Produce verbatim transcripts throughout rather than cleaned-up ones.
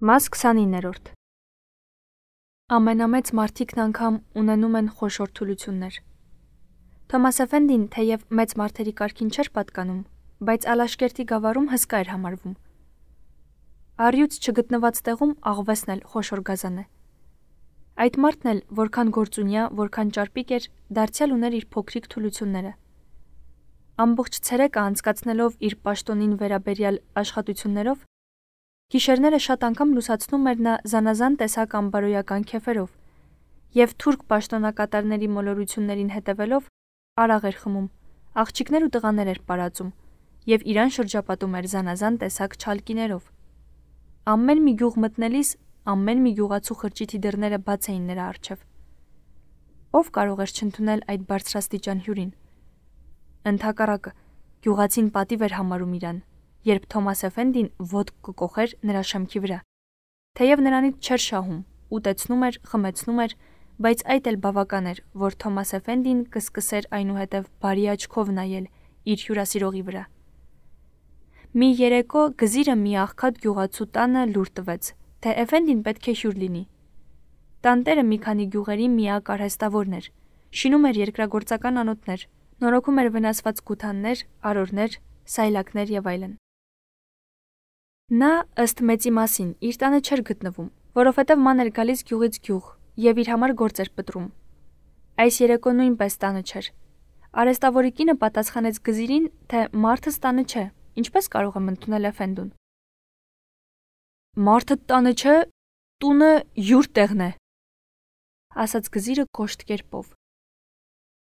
Մաս քսանիններորդ Ամենամեծ մարդիկն անգամ ունենում են խոշոր թուլություններ։ Թոմաս Էֆենդին թեև մեծ մարդերի կարգին չէր պատկանում, բայց Ալաշկերտի գավառում հսկա էր համարվում։ Առյուծ չգտնված տեղում աղվեսն էլ խոշոր գազան է։ Այդ մարդն էլ որքան գործունյա, որքան ճարպիկ էր, դարձյալ ուներ իր փոքրիկ թուլությունները։ Ամբողջ ցերեկը անցկացնելով իր պաշտոնին վերաբերյալ աշխատություններով, գիշերները շատ անգամ լուսացնում էր նա զանազան տեսակ անբարոյական քեֆերով և թուրք պաշտոնակատարների մոլորություններին հետևելով արաղ էր խմում, աղջիկներ ու տղաներ էր պարածում և իրան շրջապատում էր զանազան տեսակ չալկիներով։ Ամեն մի գյուղ մտնելիս ամեն մի գյուղացու խրճիթի դռները բաց էին նրա առջև։ Ով կարող էր չընդունել այդ բարձրաստիճան հյուրին։ Ընդհակառակը, գյուղացին պատիվ էր համարում իրան, երբ Թոմաս Էֆենդին ոտք կկոխեր նրա շեմքի վրա։ Թեև նրանից չէր շահում, ուտեցնում էր, խմեցնում էր, բայց այդ էլ բավական էր, որ Թոմաս Էֆենդին կսկսեր այնուհետև բարի աչքով նայել իր հյուրասիրողի վրա։ Մի երեկո գզիրը մի աղքատ գյուղացու տանը լուր տվեց, թե Էֆենդին պետք է հյուր լինի։ Տանտերը մի քանի գյուղերի միակ արհեստավորն էր, շինում էր երկրագործական անոթներ, նորոգում էր վնասված գութաններ, արորներ, սայլակներ և այլն։ Նա, ըստ մեծի մասին, իր տանը չէր գտնվում, որովհետև ման էր գալիս գյուղից գյուղ և իր համար գործ էր պտռում։ Այս երեկո նույնպես տանը չէր։ Արհեստավորի կինը պատասխանեց գզիրին, թե մարդս տանը չէ, ինչպես կարող եմ ընդունել Էֆենդուն։ Մարդդ տանը չէ, տունը յուր տեղն է, ասաց գզիրը կոշտ կերպով։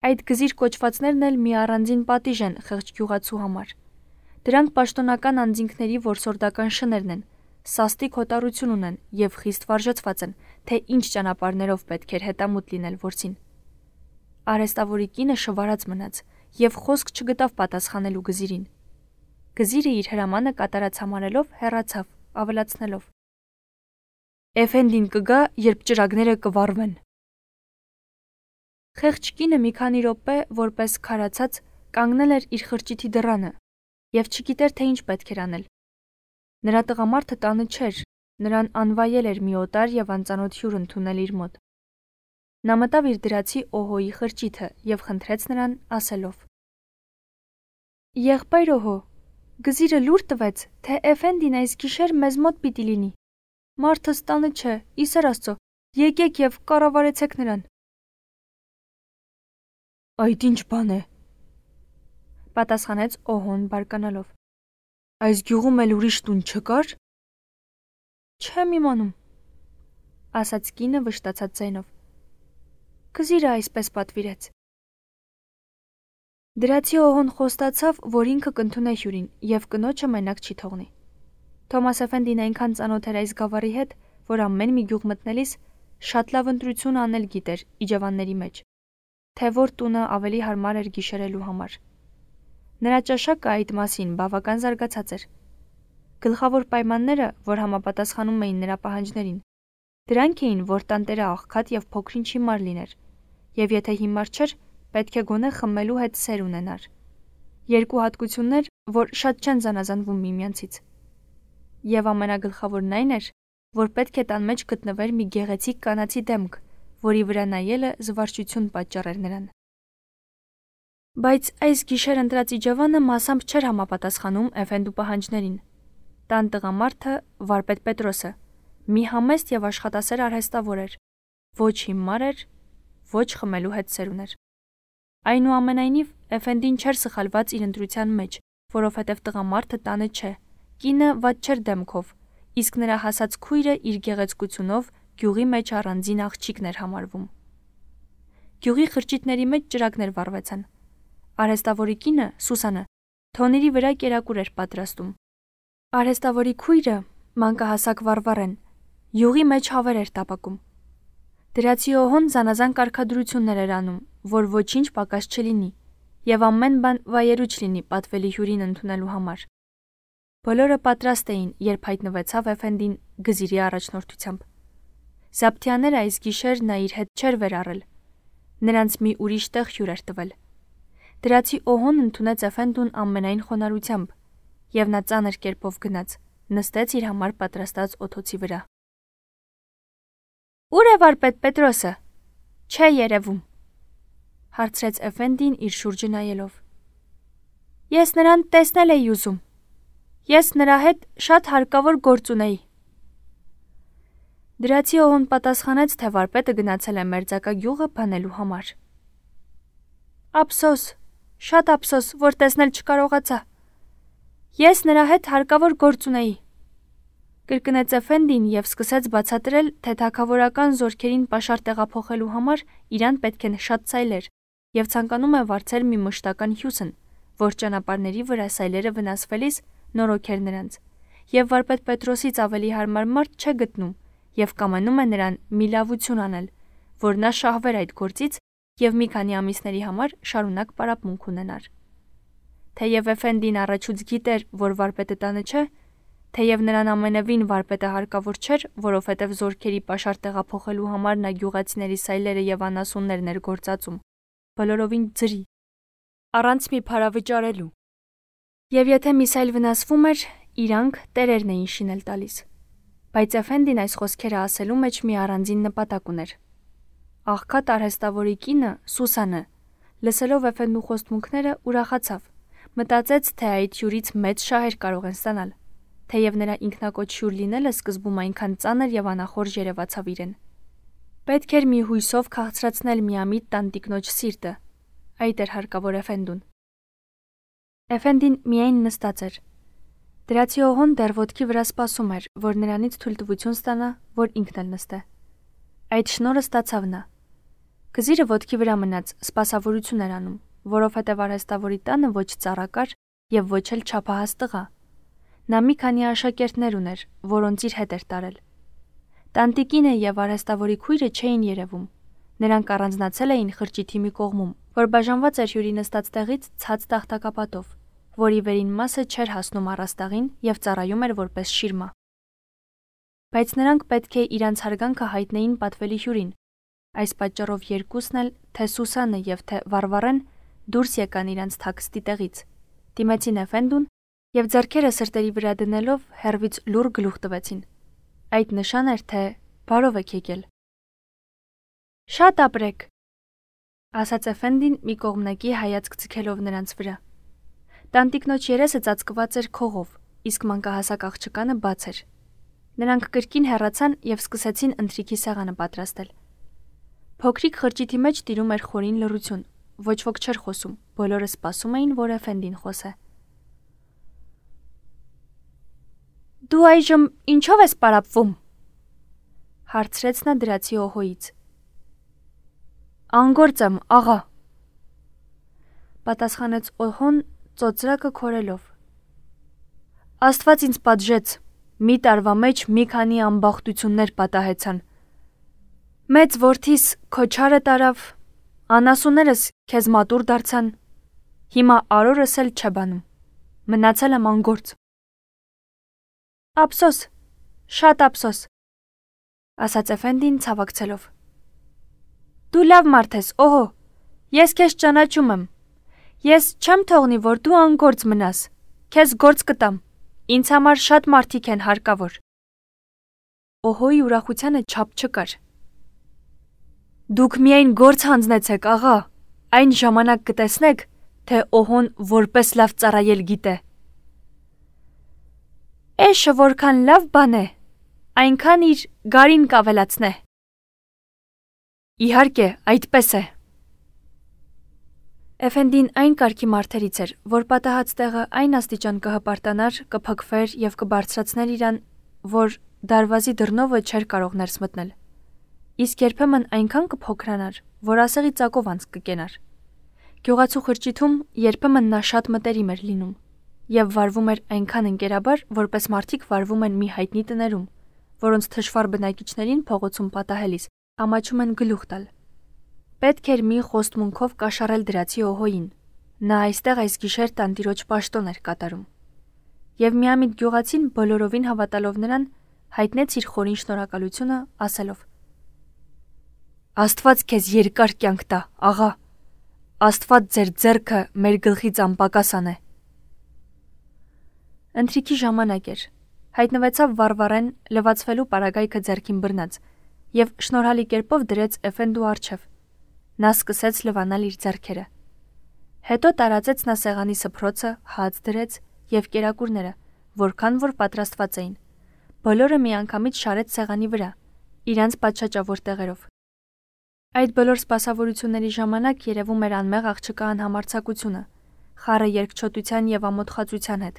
Այդ գզիր կոչվածներն էլ մի առանձին պատիժ են խեղճ գյուղացու համար։ Դրանք պաշտոնական անձինքների որսորդական շներն են, սաստիկ հոտառություն ունեն և խիստ վարժեցված են, թե ինչ ճանապարհներով պետք էր հետամուտ լինել որսին։ Արհեստավորի կինը շվարած մնաց և խոսք չգտավ պատասխանելու գզիրին։ Գզիրը իր հրամանը կատարած համարելով հեռացավ, ավելացնելով. Էֆենդին կգա, երբ ճրագները կվառվեն։ Խեղճ կինը մի քանի րոպե, որպես քարացած, կանգնել էր իր խրճիթի դռանը և չգիտեր, թե ինչ պետք էր անել։ Նրա տղամարդը տանը չէր, նրան անվայել էր մի օտար և անծանոթ հյուր ընդունել իր մոտ։ Նա մտավ իր դրացի Օհոյի խրճիթը և խնդրեց նրան, ասելով. Եղբայր Օհո, գզիրը լուր տվեց, թե Էֆենդին այս գիշեր մեզ մոտ պիտի լինի։ Մարդս տանը չէ, ի սեր Աստծո, եկեք և կառավարեցեք նրան։ Այդ ինչ բան է, պատասխանեց Օհոն բարկանալով։ Այս գյուղում էլ ուրիշ տուն չկար։ Չեմ իմանում, ասաց կինը վշտացած ձայնով։ Գզիրը այսպես պատվիրեց։ Դրացի Օհոն խոստացավ, որ ինքը կընդունե հյուրին և կնոջը մենակ չի թողնի։ Թոմաս Էֆենդին այնքան ծանոթ էր այս գավառի հետ, որ ամեն մի գյուղ մտնելիս շատ լավ ընտրություն անել գիտեր իջևանների մեջ, թե որ տունը ավելի հարմար էր գիշերելու համար։ Նրա ճաշակը այդ մասին բավական զարգացած էր։ Գլխավոր պայմանները, որ համապատասխանում էին նրա պահանջներին, դրանք էին, որ տանտերը աղքատ և փոքրինչ հիմար լիներ, և եթե հիմար չէր, պետք է գոնե խմելու հետ սեր ունենար։ Երկու հատկություններ, որ շատ չեն զանազանվում միմյանցից։ Եվ ամենագլխավորն այն էր, որ պետք է տան մեջ գտնվեր մի գեղեցիկ կանացի դեմք, որի վրա նայելը զվարճություն պատճառեր նրան։ Բայց այս գիշեր ընտրած իջևանը մասամբ չէր համապատասխանում Էֆենդու պահանջներին։ Տան տղամարդը, վարպետ Պետրոսը, մի համեստ և աշխատասեր արհեստավոր էր, ոչ հիմար էր, ոչ խմելու հետ սեր ուներ։ Այնուամենայնիվ, Էֆենդին չէր սխալված իր ընտրության մեջ, որովհետև տղամարդը տանը չէ, կինը վատ չէր դեմքով, իսկ նրա հասած քույրը իր գեղեցկությունով գյուղի մեջ առանձին աղջիկն էր համարվում։ Գյուղի խրճիթների մեջ ճրագներ վառվեցան։ Արհեստավորի կինը, Սուսանը, թոնիրի վրա կերակուր էր պատրաստում։ Արհեստավորի քույրը, մանկահասակ Վարվառեն, յուղի մեջ հավեր էր տապակում։ Դրացի Օհոն զանազան կարգադրություններ էր անում, որ ոչինչ պակաս չլինի, և ամեն բան վայելուչ լինի պատվելի հյուրին ընդունելու համար։ Բոլորը պատրաստ էին, երբ հայտնվեցավ Էֆենդին գզիրի առաջնորդությամբ։ Զաբթյանները այս գիշեր նա իր հետ չէր վերառել։ Նրանց մի ուրիշ տեղ հյուր էր տվել։ Դրացի Օհոն ընդունեց Էֆենդուն ամենայն խոնարհությամբ, և նա ծանր կերպով գնաց, նստեց իր համար պատրաստած օթոցի վրա։ Ուր է վարպետ Պետրոսը։ Չէ երևում, հարցրեց Էֆենդին իր շուրջը նայելով։ Ես նրան տեսնել էի ուզում։ Ես նրա հետ շատ հարկավոր գործ ունեի։ Դրացի օհոն պատասխանեց, թե վարպետը գնացել է Մերձակա գյուղը բանելու համար։ Ափսոս, շատ ափսոս, որ տեսնել չկարողացա։ Ես նրա հետ հարկավոր գործ ունեի։ Կրկնեց Էֆենդին և սկսեց բացատրել, թե թագավորական զորքերին պաշար տեղափոխելու համար իրան պետք է շատ սայլեր և ցանկանում է վարձել մի մշտական հյուսն, որ ճանապարհների վրա սայլերը վնասվելիս նորոգեր նրանց, և վարպետ Պետրոսից ավելի հարմար մարդ չէ գտնում և կամենում է նրան մի լավություն անել, որ նա շահվեր այդ գործից և մի քանի ամիսների համար շարունակ պարապմունք ունենար։ Թեև Էֆենդին առաջուց գիտեր, որ վարպետը տանը չէ, թեև նրան ամենևին վարպետը հարկավոր չէր, որովհետև զորքերի պաշար տեղափոխելու համար նա գյուղացիների սայլերը և անասուններն էր գործածում, բոլորովին ձրի, առանց մի փարավճարելու։ Եվ եթե մի սայլ վնասվում էր, իրանք տերերն էին շինել տալիս։ Բայց Էֆենդին այս խոսքերը ասելու մեջ մի առանձին նպատակ ուներ։ Աղքատ արհեստավորի կինը, Սուսանը, լսելով Էֆենդու խոստմունքները, ուրախացավ, մտածեց, թե այդ հյուրից մեծ շահեր կարող են ստանալ, թեև նրա ինքնակոչ հյուր լինելը սկզբում այնքան ծանր և անախորժ երևացավ իրեն։ Պետք էր մի հույսով քաղցրացնել միամիտ տանտիկնոջ սիրտը, այդ էր հարկավոր Էֆենդուն։ Էֆենդին միայն նստած էր։ Դրացի օհոն դեռ ոտքի վրա սպասում էր, որ նրանից թույլտվություն ստանա, որ ինքն էլ նստե։ Այդ շնորհը ստացավ նա։ Գզիրը ոտքի վրա մնաց, սպասավորություն էր անում, որովհետև արհեստավորի տանը ոչ ծառա կար և ոչ էլ չափահաս տղա։ Նա մի քանի աշակերտներ ուներ, որոնց իր հետ էր տարել։ Տանտիկինը և արհեստավորի քույրը չէին երևում։ Նրանք առանձնացել էին խրճիթի մի կողմում, որ բաժանված էր հյուրի նստած տեղից ցած տախտակապատով, որի վերին մասը չէր հասնում առաստաղին և ծառայում էր որպես շիրմա։ Բայց նրանք պետք է իրանց հարգանքը հայտնեին պատվելի հյուրին։ Այս պատճառով երկուսն էլ, թե Սուսանը և թե Վարվարեն, դուրս եկան իրանց թաքստի տեղից, դիմեցին Էֆենդուն և ձեռքերը սրտերի վրա դնելով հեռվից լուռ գլուխ տվեցին։ Այդ նշան էր, թե բարով եք եկել։ Շատ ապրեք, ասաց Էֆենդին մի կողմնակի հայացք ձգելով նրանց վրա։ Տանտիկնոջ երեսը ծածկված էր քողով, իսկ մանկահասակ աղջկանը բաց էր։ Նրանք կրկին հեռացան և սկսեցին ընթրիքի սեղանը պատրաստել։ Փոքրիկ խրճիթի մեջ տիրում էր խորին լռություն, ոչ ոք չէր խոսում, բոլորը սպասում էին, որ Էֆենդին խոսե։ Դու այժմ ինչով ես պարապվում, հարցրեց նա դրացի օհոից։ Անգործ եմ, աղա, պատասխանեց օհոն ծոծրակը քորելով։ Աստված ինձ պատժեց, մի տարվա մեջ մի քանի ամբախտություններ պատահեցան։ Մեծ որդիս քո չարը տարավ, անասուններս քեզ մատուռ դարձան, հիմա արորս էլ չէ բանում, մնացել եմ անգործ։ Ափսոս, շատ ափսոս, ասաց Էֆենդին ցավակցելով։ Դու լավ մարդ ես, օհո, ես քեզ ճանաչում եմ։ Ես չեմ թողնի, որ դու անգործ մնաս, քեզ գործ կտամ, ինձ համար շատ մարդիկ են հարկավոր։ Օհոյի ուրախությանը չափ չկար։ Դուք միայն գործ հանձնեցեք, աղա, այն ժամանակ կտեսնեք, թե օհոն որպես լավ ծառայել գիտե։ Էշը որքան լավ բան է, այնքան իր գարին կավելացնե։ Իհարկե, այդպես է։ Էֆենդին այն կարգի մարդերից էր, որ պատահած տեղը այն աստիճան կհպարտանար, կփքվեր և կբարձրացներ իրան, որ դարվազի դռնովը չէր կարող ներս մտնել։ Իսկ երբեմն այնքան կփոքրանար, որ ասեղի ծակով անց կկենար։ Գյուղացու խրճիթում երբեմն նա շատ մտերիմ էր լինում և վարվում էր այնքան ընկերաբար, որպես մարդիկ վարվում են մի հայտնի տներում, որոնց թշվառ բնակիչներին փողոցում պատահելիս ամաչում են գլուխ տալ։ Պետք էր մի խոստմունքով կաշառել դրացի օհոյին։ Նա այստեղ այս գիշեր տանտիրոջ պաշտոն էր կատարում։ Եվ միամիտ գյուղացին բոլորովին հավատալով նրան, հայտնեց իր խորին շնորհակալությունը, ասելով. Աստված քեզ երկար կյանք տա, աղա։ Աստված ձեր ձեռքը մեր գլխից անպակաս անե։ Ընթրիքի ժամանակ էր։ Հայտնվեցավ Վարվարեն լվացվելու պարագայքը ձեռքին բռնած եւ շնորհալի կերպով դրեց Էֆենդու առջև։ Նա սկսեց լվանալ իր ձեռքերը։ Հետո տարածեց նա սեղանի սփռոցը, հաց դրեց եւ կերակուրները, որքան որ պատրաստված էին։ Բոլորը միանգամից շարեց սեղանի վրա, իրանց պատշաճավոր տեղերով։ Այդ բոլոր սպասավորությունների ժամանակ երևում էր անմեղ աղջկա անհամարձակությունը, խառը երկչոտության եւ ամոթխածության հետ,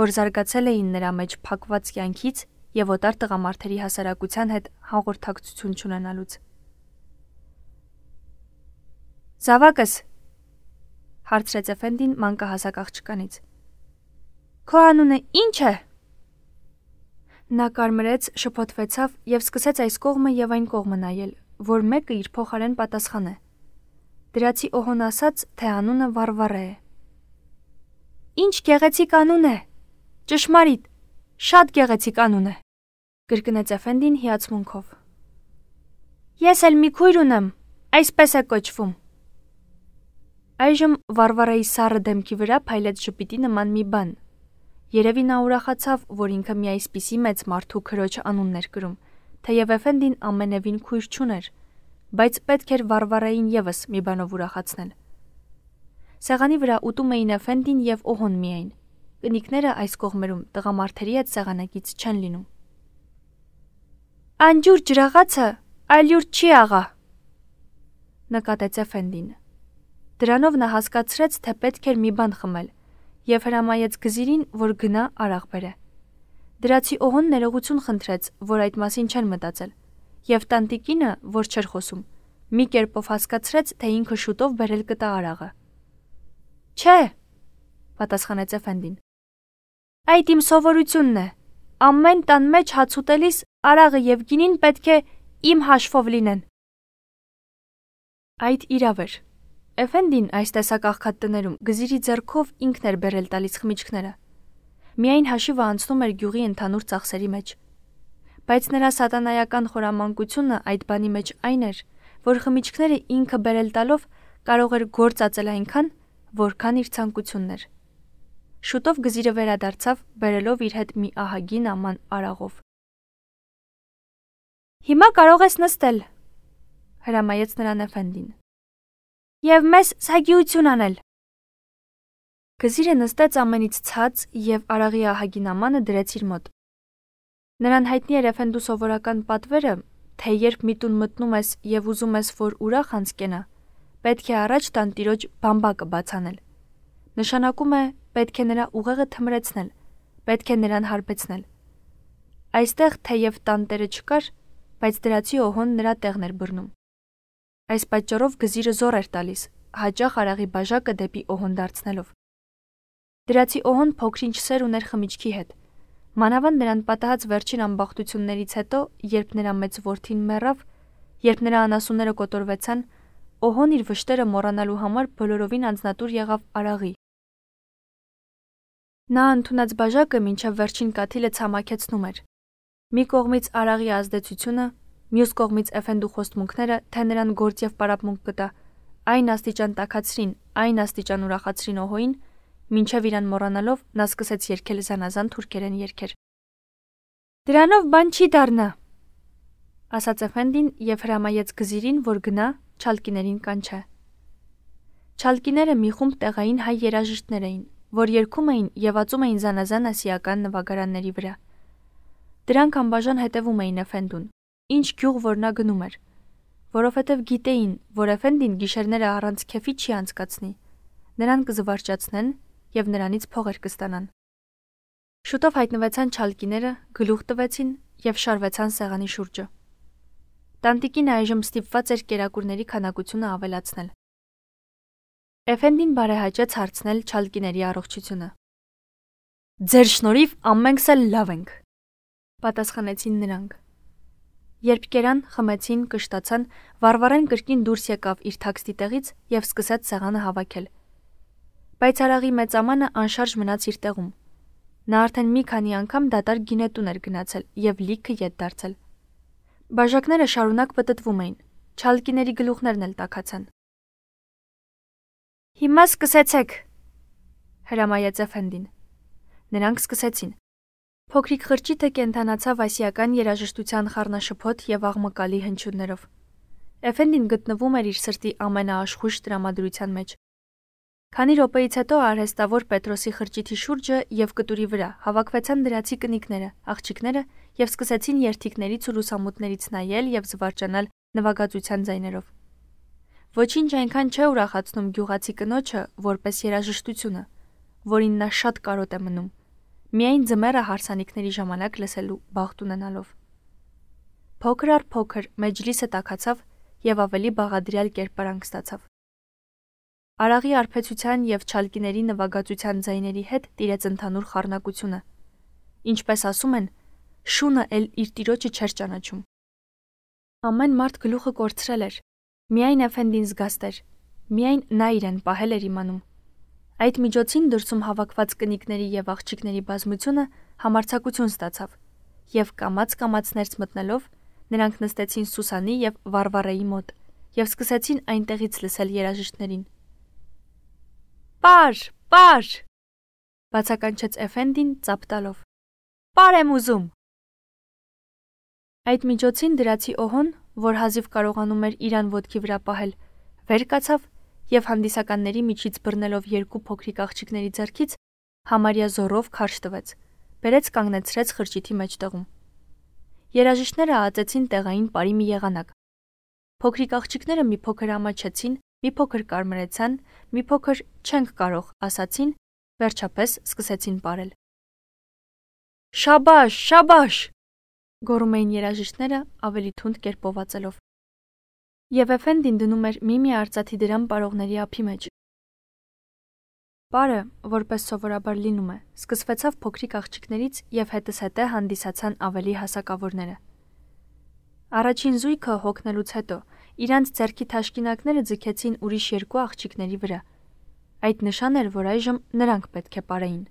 որ զարգացել էին նրա մեջ փակված կյանքից եւ օտար տղամարդերի հասարակության հետ հաղորդակցություն չունենալուց։ Զավակս, հարցրեց Էֆենդին մանկահասակ աղջկանից։ Քո անունը ի՞նչ է։ Նա կարմրեց, շփոթվեցավ եւ սկսեց այս կողմը եւ այն կողմը նայել, որ մեկը իր փոխարեն պատասխան է։ Դրացի Օհոն ասաց, թե անունը Վարվարե է։ Ինչ գեղեցիկ անուն է։ Ճշմարիտ, շատ գեղեցիկ անուն է, կրկնեց Էֆենդին հիացմունքով։ Ես էլ մի քույր ունեմ, այսպես է կոչվում։ Այժմ Վարվարայի սառը դեմքի վրա փայլեց ժպիտի նման մի բան։ Երևի նա ուրախացավ, որ ինքը մի այսպիսի մեծ մարդու քրոջ անունն էր կրում, թեև Էֆենդին ամենևին քույր չուներ, բայց պետք էր Վարվարային եւս մի բանով ուրախացնել։ Սեղանի վրա ուտում էին Էֆենդին եւ Օհոն միայն։ Կնիկները այս կողմերում տղամարդերի հետ սեղանակից չեն լինում։ Անջուր ջրաղացը այլյուր չի աղա, նկատեց Էֆենդին։ Դրանով նա հասկացրեց, թե պետք էր մի բան խմել եւ հրամայեց գզիրին, որ գնա արաղ բերե։ Դրացի Օհոն ներողություն խնդրեց, որ այդ մասին չեն մտածել, եւ տանտիկինը, որ չէր խոսում, մի կերպով հասկացրեց, թե ինքը շուտով բերել կտա արաղը։ Չէ, պատասխանեց Էֆենդին։ Այդ իմ սովորությունն է։ Ամեն տան մեջ հաց ուտելիս արաղը եւ գինին պետք է իմ հաշվով լինեն։ Այդ իրավ էր։ Էֆենդին այս տեսակ աղքատ տներում գզիրի ձեռքով ինքն էր բերել տալիս խմիչքները։ Միայն հաշիվը անցնում էր գյուղի ընդհանուր ծախսերի մեջ։ Բայց նրա սատանայական խորամանկությունը այդ բանի մեջ այն էր, որ խմիչքները ինքը բերել տալով կարող էր գործածել այնքան, որքան իր ցանկությունն էր։ Շուտով գզիրը վերադարձավ, բերելով իր հետ մի ահագին աման արաղով։ Հիմա կարող ես նստել, հրամայեց նրան Էֆենդին։ Եվ մեզ սագիություն անել։ Գզիրը նստեց ամենից ցած եւ արաղի ահագին ամանը դրեց իր մոտ։ Նրան հայտնի էր Էֆենդու սովորական պատվերը, թե երբ մի տուն մտնում ես եւ ուզում ես, որ ուրախ անցկենա, պետք է առաջ տանտիրոջ բամբակը բացանել։ Նշանակում է պետք է նրա ուղեղը թմրեցնել, պետք է նրան հարբեցնել։ Այստեղ թեև տանտերը չկար, բայց դրացի Օհոն նրա տեղն էր բռնում։ Այս պատճառով գզիրը զոր էր տալիս, հաճախ արաղի բաժակը դեպի Օհոն դարձնելով։ Դրացի Օհոն փոքրինչ սեր ուներ խմիչքի հետ։ Մանավանդ նրան պատահած վերջին ամբախտություններից հետո, երբ նրա մեծ որդին մեռավ, երբ նրա անասունները կոտորվեցան, Օհոն իր վշտերը մոռանալու համար բոլորովին անձնատուր եղավ արաղի։ Նա ընդունած բաժակը մինչև վերջին կաթիլը ցամաքեցնում էր։ Մի կողմից արաղի ազդեցությունը, մյուս կողմից Էֆենդու խոստմունքները, թե նրան գործ եւ պարապմունք կտա, այն աստիճան տաքացրին, այն աստիճան ուրախացրին Օհոին, մինչև իրան մոռանալով նա սկսեց երգել զանազան թուրքերեն երգեր։ Դրանով բան չի դառնա, ասաց Էֆենդին եւ հրամայեց գզիրին, որ գնա չալկիներին կանչե։ Չալկիները մի խումբ տեղային հայ երաժիշտներ էին, որ երգում էին եւ ածում էին զանազան ասիական նվագարանների վրա։ Դրանք անբաժան հետևում էին Էֆենդուն, ինչ գյուղ որ նա գնում էր, որովհետև գիտեին, որ Էֆենդին գիշերները առանց քեֆի չի անցկացնի, նրան կզվարճացնեն եւ նրանից փողեր կստանան։ Շուտով հայտնվեցան չալկիները, գլուխ տվեցին եւ շարվեցան սեղանի շուրջը։ Տանտիկին այժմ ստիպված էր կերակուրների քանակությունը ավելացնել։ Էֆենդին բարեհաճեց հարցնել չալկիների առողջությունը։ Ձեր շնորհիվ ամենքս էլ լավ ենք, պատասխանեցին նրանք։ Երբ կերան, խմեցին, կշտացան, Վարվարեն կրկին դուրս եկավ իր թաքստի տեղից եւ սկսեց սեղանը հավաքել։ Բայց արաղի մեծ ամանը անշարժ մնաց իր տեղում։ Նա արդեն մի քանի անգամ դատարկ գինետուն էր գնացել եւ լիքը ետ դարձել։ Բաժակները շարունակ պտտվում էին, չալկիների գլուխներն էլ տաքացան։ Հիմա սկսեցեք, հրամայեց Էֆենդին։ Նրանք սկսեցին։ Փոքրիկ խրճիթը կենդանացավ ասիական երաժշտության խառնաշփոթ եւ աղմկալի հնչյուններով։ Էֆենդին գտնվում էր իր սրտի ամենաաշխույժ տրամադրության մեջ։ Քանի րոպեից հետո արհեստավոր Պետրոսի խրճիթի շուրջը եւ կտուրի վրա հավաքվեցան դրացի կնիկները, աղջիկները եւ սկսեցին երթիկներից ու լուսամուտներից նայել եւ զվարճանալ նվագածության ձայներով։ Ոչինչ այնքան չէ ուրախացնում գյուղացի կնոջը, որպես երաժշտությունը, որին նա շատ կարոտ է մնում, միայն ձմեռը հարսանիքների ժամանակ լսելու բախտ ունենալով։ Փոքր առ փոքր մեջլիսը տաքացավ եւ ավելի բաղադրյալ կերպարանք ստացավ։ Արաղի արբեցության եւ չալկիների նվագածության ձայների հետ տիրեց ընդհանուր խառնակությունը։ Ինչպես ասում են, շունը էլ իր տիրոջը չէր ճանաչում։ Ամեն մարդ գլուխը կորցրել էր, միայն Էֆենդին զգաստ էր, միայն նա իրեն պահել էր իմանում։ Այդ միջոցին դրսում հավաքված կնիկների եւ աղջիկների բազմությունը համարձակություն ստացավ, եւ կամաց-կամաց ներս մտնելով նրանք նստեցին Սուսանի եւ Վարվարեի մոտ եւ սկսեցին այնտեղից լսել երաժիշտներին։ Պար, պար, բացականչեց Էֆենդին ծափ տալով։ Պար եմ ուզում։ Այդ միջոցին դրացի օհոն, որ հազիվ կարողանում էր իրան ոտքի վրա պահել, վեր կացավ եւ հանդիսականների միջից բռնելով երկու փոքրիկ աղջիկների ձեռքից համարյա զորով քարշ տվեց, բերեց կանգնեցրեց խրճիթի մեջտեղում։ Երաժիշտները ածեցին տեղային պարի մի եղանակ։ Փոքրիկ աղջիկները մի փոքր ամաչեցին, մի փոքր կարմրեցան, մի փոքր չենք կարող ասացին, վերջապես սկսեցին պարել։ Շաբաշ, շաբաշ, գոռում էին երաժիշտները ավելի թունդ կերպով ածելով։ Եվ Էֆենդին դնում էր մի-մի արծաթի դրամ պարողների ափի մեջ։ Պարը, որպես սովորաբար լինում է, սկսվեցավ փոքրիկ աղջիկներից եւ հետզհետե հանդիսացան ավելի հասակավորները։ Առաջին զույգը հոգնելուց հետո իրանց ձեռքի թաշկինակները ձգեցին ուրիշ երկու աղջիկների վրա։ Այդ նշան էր, որ այժմ նրանք պետք է պարեին։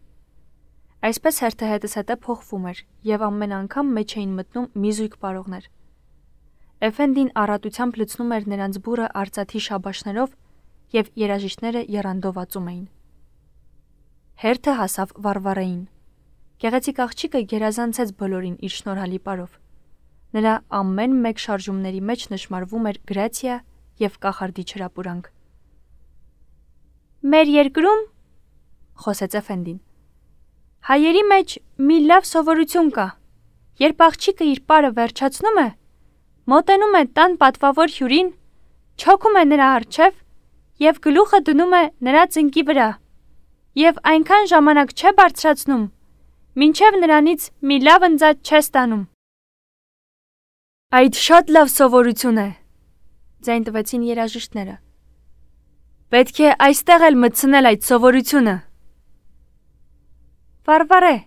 Այսպես հերթը հետզհետե փոխվում էր եւ ամեն անգամ մեջ էին մտնում մի զույգ պարողներ։ Էֆենդին առատությամբ լցնում էր նրանց բուրը արծաթի շաբաշներով եւ երաժիշտները եռանդով ածում էին։ Հերթը հասավ Վարվարեին։ Գեղեցիկ աղջիկը գերազանցեց բոլորին իր շնորհալի պարով։ Նրա ամեն մեկ շարժումների մեջ նշմարվում էր գրացիա եւ կախարդի չրապուրանք։ Մեր երկրում, խոսեց Էֆենդին, հայերի մեջ մի լավ սովորություն կա։ Երբ աղջիկը իր պարը վերջացնում է, մոտենում է տան պատվավոր հյուրին, չոքում է նրա առջև եւ գլուխը դնում է նրա ծնկի վրա եւ այնքան ժամանակ չէ բարձրացնում, մինչեւ նրանից մի լավ ընձած չէ ստանում։ Այդ շատ լավ սովորություն է, ձայն տվեցին երաժիշտները։ Պետք է այստեղ էլ մտցնել այդ սովորությունը։ Վարվարե,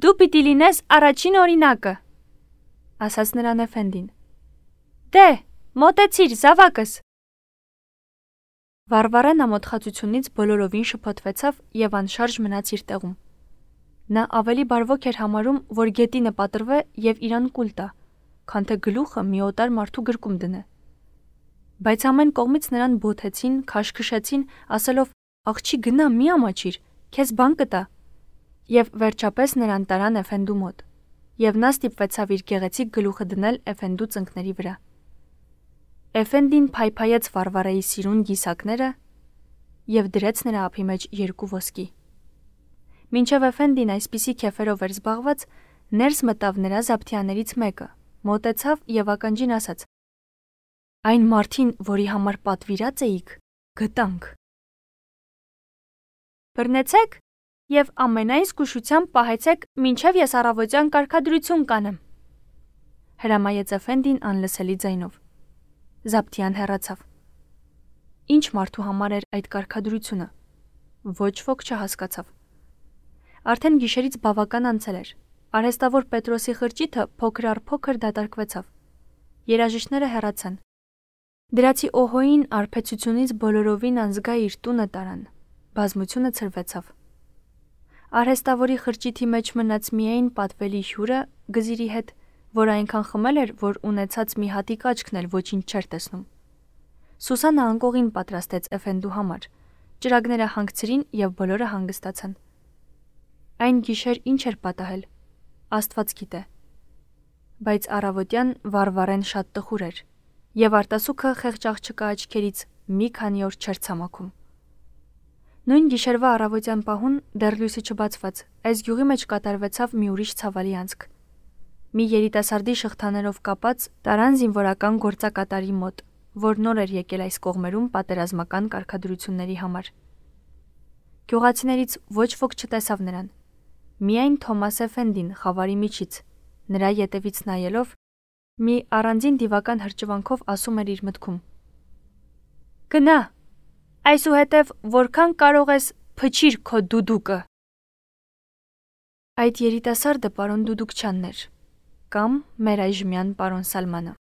դու պիտի լինես առաջին օրինակը, ասաց նրան Էֆենդին։ Դե, մոտեցիր, զավակս։ Վարվարեն ամոթխածությունից բոլորովին շփոթվեցավ եւ անշարժ մնաց իր տեղում։ Նա ավելի բարվոք էր համարում, որ գետինը պատրվե եւ իրան կուլ տա, քան թե գլուխը մի օտար մարդու գրկում դնե։ Բայց ամեն կողմից նրան բոթեցին, քաշքշեցին, ասելով. «Աղջի գնա, մի ամաչիր, քեզ բան կտա»։ Եվ վերջապես նրան տարան Էֆենդու մոտ, եւ նա ստիպվեցավ իր գեղեցիկ գլուխը դնել Էֆենդու ծնկների վրա։ Էֆենդին փայփայեց Վարվարեի սիրուն գիսակները եւ դրեց նրա ափի մեջ երկու ոսկի։ Մինչև Էֆենդին այսպիսի քեֆերով էր զբաղված, ներս մտավ նրա զապթիաներից մեկը, մոտեցավ եւ ականջին ասաց. Այն մարդին, որի համար պատվիրած էիք, գտանք։ Բռնեցեք եւ ամենայն զգուշությամբ պահեցեք, մինչեւ ես առավոտյան կարգադրություն կանեմ։ Հրամայեց Էֆենդին անլսելի ձայնով։ Զապթիան հեռացավ։ Ինչ մարդու համար էր այդ կարգադրությունը։ Ոչ ոք չհասկացավ։ Արդեն գիշերից բավական անցել էր։ Արհեստավոր Պետրոսի խրճիթը փոքր առ փոքր դատարկվեցավ։ Երաժիշտները հեռացան։ Դրացի օհոին արբեցությունից բոլորովին անզգա իր տունը տարան։ Բազմությունը ցրվեցավ։ Արհեստավորի խրճիթի մեջ մնաց միայն պատվելի հյուրը գզիրի հետ, որ այնքան խմել էր, որ ունեցած մի հատիկ աչքն էլ ոչինչ չէր տեսնում։ Սուսանը անկողին պատրաստեց Էֆենդու համար։ Ճրագները հանգցրին եւ բոլորը հանգստացան։ Այն գիշեր ինչ էր պատահել։ Աստված գիտե։ Բայց առավոտյան Վարվարեն շատ տխուր էր, եւ արտասուքը խեղճ աղջկա աչքերից մի քանի օր չէր ցամաքում։ Նույն գիշերվա առավոտյան պահուն, դեռ լույսը չբացված, այս գյուղի մեջ կատարվեցավ մի ուրիշ ցավալի անցք։ Մի երիտասարդի շղթաներով կապած տարան զինվորական գործակատարի մոտ, որ նոր էր եկել այս կողմերում պատերազմական կարգադրությունների համար։ Գյուղացիներից ոչ ոք չտեսավ նրան։ Միայն Թոմաս Էֆենդին խավարի միջից, նրա ետևից նայելով, մի առանձին դիվական հրճվանքով ասում էր իր մտքում. «Գնա, այսուհետև որքան կարող ես փչիր քո դուդուկը»։ Այդ երիտասարդը պարոն Դուդուկչյանն էր, կամ մեր այժմյան պարոն Սալմանը։